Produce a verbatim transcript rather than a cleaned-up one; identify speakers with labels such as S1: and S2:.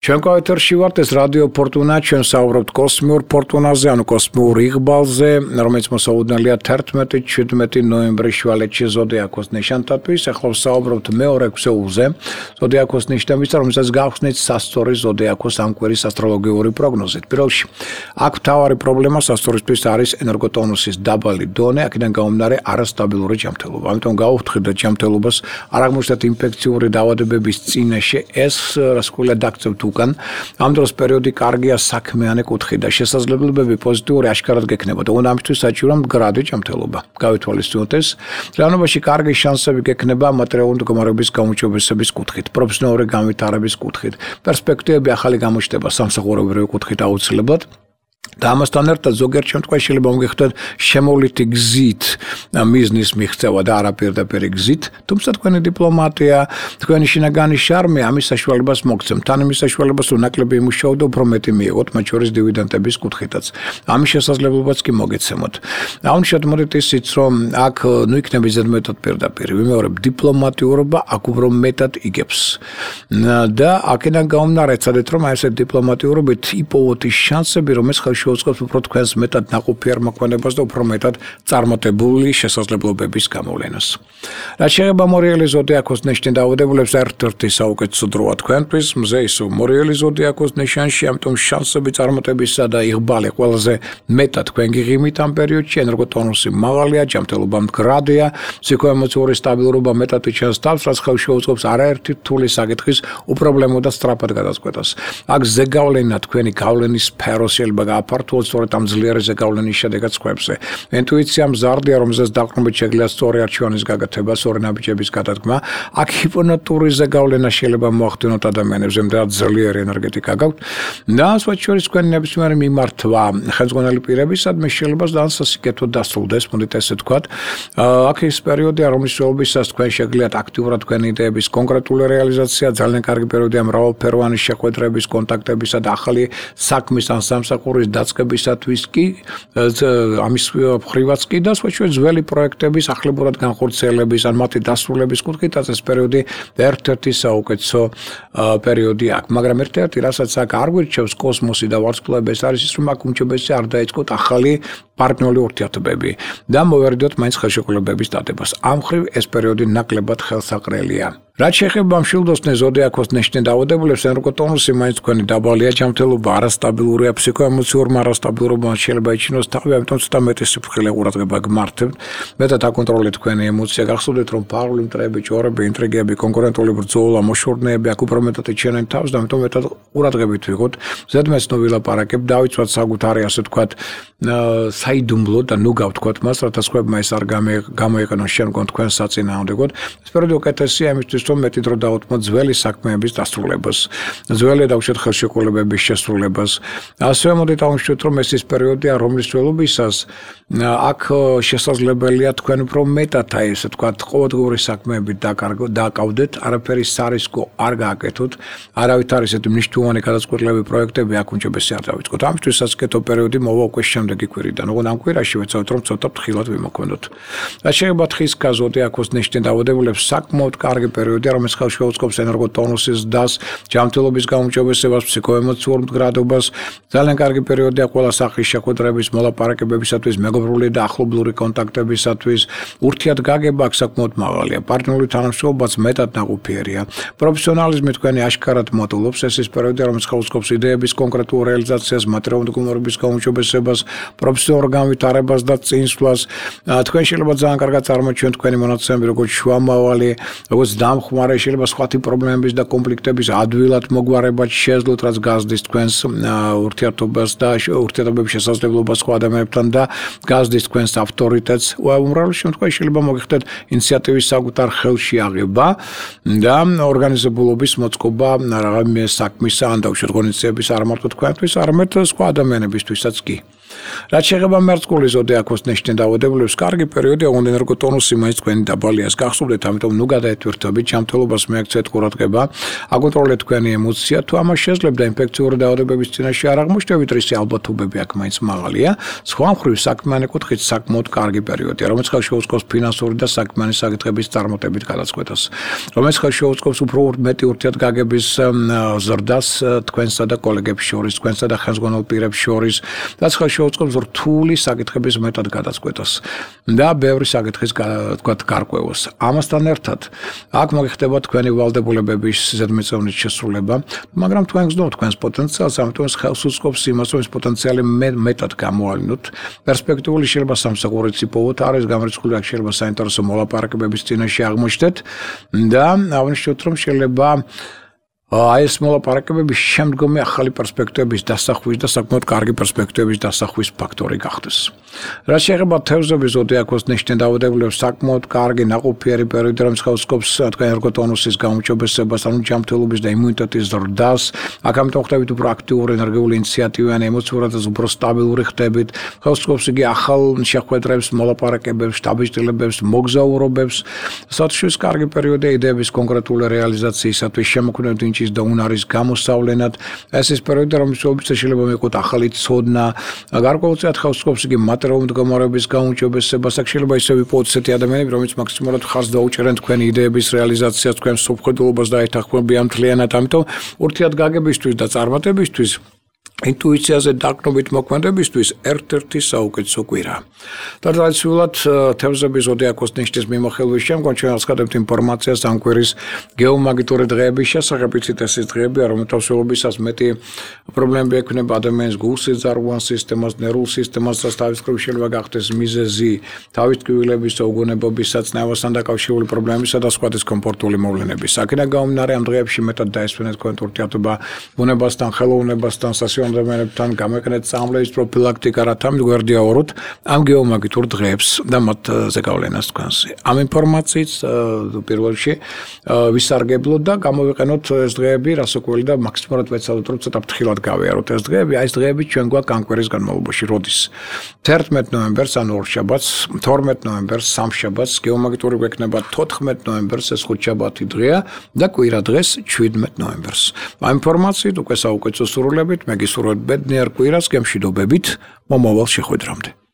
S1: ჩვენ კოეთერში ვართ, ეს რადიო ფორტუნა, ჩვენ საუბრობთ კოსმიურ ფორტუნაზე, ანუ კოსმიურ იღბალზე, რომელიც მოსაუდნელია თერთმეტი შვიდმეტი ნოემბრის შუალედში ზოდიაქოს ნიშანთათვის. ახლა საუბრობთ მეორე ქსოულზე, ზოდიაქოს ნიშნების, რომელსაც გავხსნით სასწორი ზოდიაქოს ამ კვირის ასტროლოგიური პროგნოზით. პირველში, აქ მთავარი პრობლემა სასწორისთვის არის ენერგოტონუსის დაბალი დონე, აქედან გამომდინარე არასტაბილური ჯანმრთელობა. ამიტომ გავუხდით ჯანმრთელობას არ აღმოჩნდეთ ინფექციური დაავადებების წინაშე, ეს რასკვლელად დაგწევთ უკან. ამ დროს პერიოდი კარგია საქმიანი კუთხით და შესაძლებლობები პოზიტიური აშკარად გექნებოდა. უნდა ამისთვის საჭირო მდგრადი ჯანმრთელობა. გავითვალისწინოთ ეს. realობაში კარგი შანსები გექნება მატერიალური მდგომარეობის გაუმჯობესების კუთხით, პროფესიონალური განვითარების კუთხით, პერსპექტივები ახალი გამოჩნდება სამსახურებრივი კუთხით აუცილებლად. და ამასთან ერთად ზოგიერთ შემთხვევაში შეიძლება მოგეხსნათ შემოვლითი გზით მიზნის მიღწევა და არა პირდაპირ გზით, თუმცა თქვენი დიპლომატია, თქვენი შინაგანი შარმი ამის საშუალებას მოგცემთ. თან იმის საშუალებას რომ ნაკლები იმუშაოთ და უფრო მეტი მიიღოთ, მათ შორის დივიდენდების კუთხითაც. ამის შესაძლებლობაც კი მოგეცემოთ. აუნიშნავთ მოდით ისიც, რომ აქ ნუ იქნება ზედმეტად პირდაპირ. ვიმეორებ, დიპლომატიურობა აქ უფრო მეტად იგებს. და აქედან გამომდინარე, ცადეთ რომ აი ეს დიპლომატიურობით იპოვოთ ის შანსები, რომ ეს შეუწყობს უფრო თქვენს მეტად ნაყოფიერ მოქმედებას და უფრო მეტად წარმატებული შესაძლებლობების გამოვლენას. რაც შეეხება მორიელი ზოდიაქოს ნიშნის დაავადებულებს, ერთ-ერთი საუკეთესო დროა თქვენთვის, მზე ისო მორიელი ზოდიაქოს ნიშანში, ამიტომ შანსები წარმატებისა და იღბალი ყველაზე მეტად თქვენ გიღიმით ამ პერიოდში, ენერგოტონუსი მაღალია, ჯანმრთელობა მდგრადია, ფსიქოემოციური სტაბილურობა მეტად იჩენს თავს, რაც ხელს შეუწყობს არაერთი რთული საკითხის უპრობლემო და სწრაფად გადაწყვეტას. აქ ზეგავლენა თქვენი გავლენის სფერო შეიძლება აფართოოთ სწორედ ამ ძლიერი ზეგავლენის შედეგად სხვებზე. ინტუიცია მზარდია, რომელზეც დაყრდნობით შეგვიძლია სწორი არჩევანის გაკეთება, სწორი ნაბიჯების გადადგმა. აქ ჰიპონატური ზეგავლენა შეიძლება მოახდინოთ ადამიანებს, იმდენად ძლიერი ენერგეტიკა გაქვთ. და სხვა შორის თქვენი ნებისმიერი მიმართვა ხელმძღვანელი პირებისადმი შეიძლება დასასიკეთოდ დასრულდეს, მოდით ესე ვთქვათ. აქ ის პერიოდია, რომლის შეობისას თქვენ შეგიძლიათ აქტიურად თქვენი იდეების კონკრეტული რეალიზაცია, ძალიან კარგი პერიოდია მრავალფეროვანი შეხვედრების, კონტაქტებისა და ახალი საქმის ან სამსახურის დაწყებისათვის კი ამის მხრივაც კი და სხვა შორის ძველი პროექტების ახლებურად განხორციელების ან მათი დასრულების კუთხითაც ეს პერიოდი ერთ-ერთი საუკეთესო პერიოდი აქვს. მაგრამ ერთ-ერთი რასაც აქ არ გვირჩევს კოსმოსი და ვარსკვლავები, ეს არის ის, რომ აქ უმჯობესია არ დაიწყოთ ახალი პარტნიორული ურთიერთობები და მოვერიდოთ მაინც ხელშეკრულებების დადებას. ამ მხრივ ეს პერიოდი ნაკლებად ხელსაყრელია. რაც შეეხება მშვილდოსნე ზოდიაქოს ნიშნის დაავადებულებს, ენერგოტონუსი მაინც თქვენი დაბალია, ჯანმრთელობა არასტაბილურია, ფსიქოემოციურმა არასტაბილურობამ შეიძლება იჩინოს თავი, ამიტომ ცოტა მეტი სიფრთხილე ყურადღება გმართებთ. მეტად აკონტროლეთ თქვენი ემოცია, გახსოვდეთ, რომ ფარული მტრები, ჭორები, ინტრიგები, კონკურენტული ბრძოლა, მოშორნეები აქ უფრო მეტად იჩენენ თავს და ამიტომ მეტად ყურადღებით ვიღოთ. ზედმეტს ნუ ვილაპარაკებ, დავიცვათ საკუთარი, ასე ვთქვათ, საიდუმლო და ნუ გავთქვათ მას, რათა სხვებმა ეს არ გამოიყენოს შემდგომ თქვენ საწინააღმდეგოდ. ეს პერიოდი უკეთესია იმისთვის, რომ მეტი დრო დაუთმოთ ძველი საქმეების დასრულებას, ძველი დავუშვათ ხელშეკრულებების შესრულებას. ასევე მოდით ავუშვათ, რომ ეს ის პერიოდია, რომლის ველობისას აქ შესაძლებელია თქვენ უფრო მეტად აი ესე ვთქვათ, ყოველდღიური საქმეებით დაკავდეთ, არაფერი სარისკო არ გააკეთოთ, არავით არ ისეთი მნიშვნელოვანი გადაწყვეტილები პროექტები აქ უმჯობესია არ დავიწყოთ. ამისთვის საკეთო პერიოდი მოვა უკვე შემდეგი კვირიდან. ოღონდ ამ კვირაში ვეცადოთ, რომ ცოტა ფრთხილად ვიმოქმედოთ. რაც შეეხება თხის ზოდიაქოს ნიშნის დაავადებულებს, საკმაოდ კარგი პერიოდია, რომელიც ხელს შეუწყობს ენერგოტონუსის დასს, ჯანმრთელობის გაუმჯობესებას, ფსიქოემოციურ მდგრადობას. ძალიან კარგი პერიოდია ყველა სახის შეხვედრების, მოლაპარაკებებისათვის, მეგობრული და ახლობლური კონტაქტებისათვის. ურთიერთგაგება აქ საკმაოდ მაღალია. პარტნიორული თანამშრომლობაც მეტად ნაყოფიერია. პროფესიონალიზმი თქვენი აშკარად მოტულობს. ეს ის პერიოდია, რომელიც ხელს უწყობს იდეების კონკრეტულ რეალიზაციას, მატერიალური მდგომარეობის გაუმჯობესებას, პროფესიონალურ განვითარებას და წინსვლას. თქვენ შეიძლება ძალიან კარგად წარმოჩინოთ თქვენი მონაცემები, როგორც შუამავალი, როგორც დამხმარე, შეიძლება სხვათი პრობლემების და კონფლიქტების ადვილად მოგვარებად შეეძლოთ, რაც გაზრდის თქვენს ურთიერთობას და ურთიერთობების შესაძლებლობას სხვა ადამიანებთან და გაზრდის თქვენს ავტორიტეტს. უმრავლეს შემთხვევაში შეიძლება მოგიხდეთ ინიციატივის საკუთარ ხელში აღება და ორგანიზებულობის მოწყობა რაღაცა საქმისა ან დავუშვათ ღონისძიების არ მარტო თქვენთვის, არამედ სხვა ადამიანებისთვისაც კი. რაც შეეხება მერწყული ზოდიაქოს ნიშნის დაავადებულებს, კარგი პერიოდი აღუდგა ენერგოტონუსი მაინც თქვენი დაბალიას გახსოვდეთ, ამიტომ ნუ გადაეთვირთებით, ჯანმრთელობას მიაქცეთ ყურადღება, აკონტროლეთ თქვენი ემოცია, თუ ამას შეძლებდა ინფექციური დაავადებების წინაშე არ აღმოჩნდებით, რისი ალბათობები აქ მაინც მაღალია. სხვა მხრივ საქმიანი კუთხით საკმაოდ კარგი პერიოდია, რომელიც ხელს შეუწყობს ფინანსური და საქმიანი საკითხების წარმატებით გადაწყვეტას, რომელიც ხელს შეუწყობს უფრო მეტი ურთიერთგაგების ზრდას თქვენსა და კოლეგებს შორის, თქვენსა და ხელმძღვანელ პირებს შორის, რაც ხელს შეუწყობს რთული საკითხების მეტად გადაწყვეტას და ბევრი საკითხის თქვათ გარკვევას. ამასთან ერთად აქ მოიხდება თქვენი ვალდებულებების ზედმიწევნით შესრულება, მაგრამ თქვენ გზნობთ თქვენს პოტენციალს, ამიტომ ხელს უწყობს იმას, რომ ეს პოტენციალი მეტად გამოალინოთ. პერსპექტიული შეიძლება სამსახურით იპოვოთ, არის გამორიცხული, აქ შეიძლება საინტერესო მოლაპარაკებების წინაშე აღმოჩნდეთ და აღნიშნოთ, რომ შეიძლება აი ეს მოლაპარაკებები შემდგომი ახალი პერსპექტივების დასახვის და საკმაოდ კარგი პერსპექტივების დასახვის ფაქტორი გახდეს. რაც შეეხება თევზების ზოდიაქოს ნიშნის დაავადებულებს, საკმაოდ კარგი ნაყოფიერი პერიოდი, რომელიც ხელს უწყობს თქვენ ენერგოტონუსის გაუმჯობესებას, ანუ ჯანმრთელობის და იმუნიტეტის ზრდას. აქ ამიტომ ხდებით უფრო აქტიური, ენერგიული, ინიციატივიანი, ემოციურად უფრო სტაბილური ხდებით. ხელს უწყობს იგი ახალ შეხვედრებს, მოლაპარაკებებს, შტაბის-ჭრილებებს, მოგზაურობებს. საერთოდ კარგი პერიოდია იდეების კონკრეტული რეალიზაციისათვის, შემოქმედებით და უნარის გამოსავლენად. ეს ის პერიოდი, რომელშიც შეიძლება მიიღოთ ახალი ცოდნა, გარკვეულწილად ხელს უწყობს იგი მატერიალური მდგომარეობის გაუმჯობესებას. აქ შეიძლება ისევ ვიპოვოთ ესეთი ადამიანები, რომლებიც მაქსიმალურად ხარს დაუჭერენ თქვენი იდეების რეალიზაციას, თქვენ სოფხედულობას დაეთანხმებიან მთლიანად, ამიტომ ურთიერთგაგებისთვის და წარმატებისთვის ინტუიციაზე დაყრდნობით მოქმედებისთვის ერთ-ერთი საუკეთესო კვირა. და ტრადიციულად თევზების ზოდიაქოს ნიშნის მიმოხილვის შემდგომ ჩვენ აღსკდებთ ინფორმაციას ამ კვირის გეომაგიტური დღეების შესახებ, იცით ეს ის დღეებია, რომელთა მსვლელობისას მეტი პრობლემები ექმნება ადამიანის გულ-სიძარღვან სისტემას, ნერვულ სისტემას, რაც თავის მხრივ შეიძლება გახდეს მიზეზი თავის ტკივილების, უგონებობის, საწნევასთან დაკავშირებული პრობლემებისა და სხვა დისკომფორტული მოვლენების. აქედან გამომდინარე ამ დღეებში მეტად დაესვენეთ თქვენ ურთიერთობა ბუნებასთან, ხელოვნებასთან, ადამიანებთან გამოიყენეთ წამლების პროფილაქტიკა, რათა მიგვერდიაუროთ ამ გეომაგიტურ დღეებს და მათ ზეგავლენას თქვენზე. ამ ინფორმაციით პირველ რიგში ვისარგებლოთ და გამოვიყენოთ ეს დღეები რასაკვირველი და მაქსიმალურად ვეცადოთ, რომ ცოტა ფრთხილად გავიაროთ ეს დღეები. აი ეს დღეები ჩვენ გვაქვს ამ კვირის განმავლობაში. როდის? თერთმეტ ნოემბერს, ანუ ორშაბათს, თორმეტ ნოემბერს, სამშაბათს, გეომაგიტური გვექნება თოთხმეტ ნოემბერს, ეს ხუთშაბათი დღეა და კვირა დღეს შვიდმეტ ნოემბერს. ამ ინფორმაციით უკვე საუკეთესო სურვილებით, მე გისურვებთ ბედნიერ კვირას, გემშვიდობებით, მომავალ შეხვედრამდე.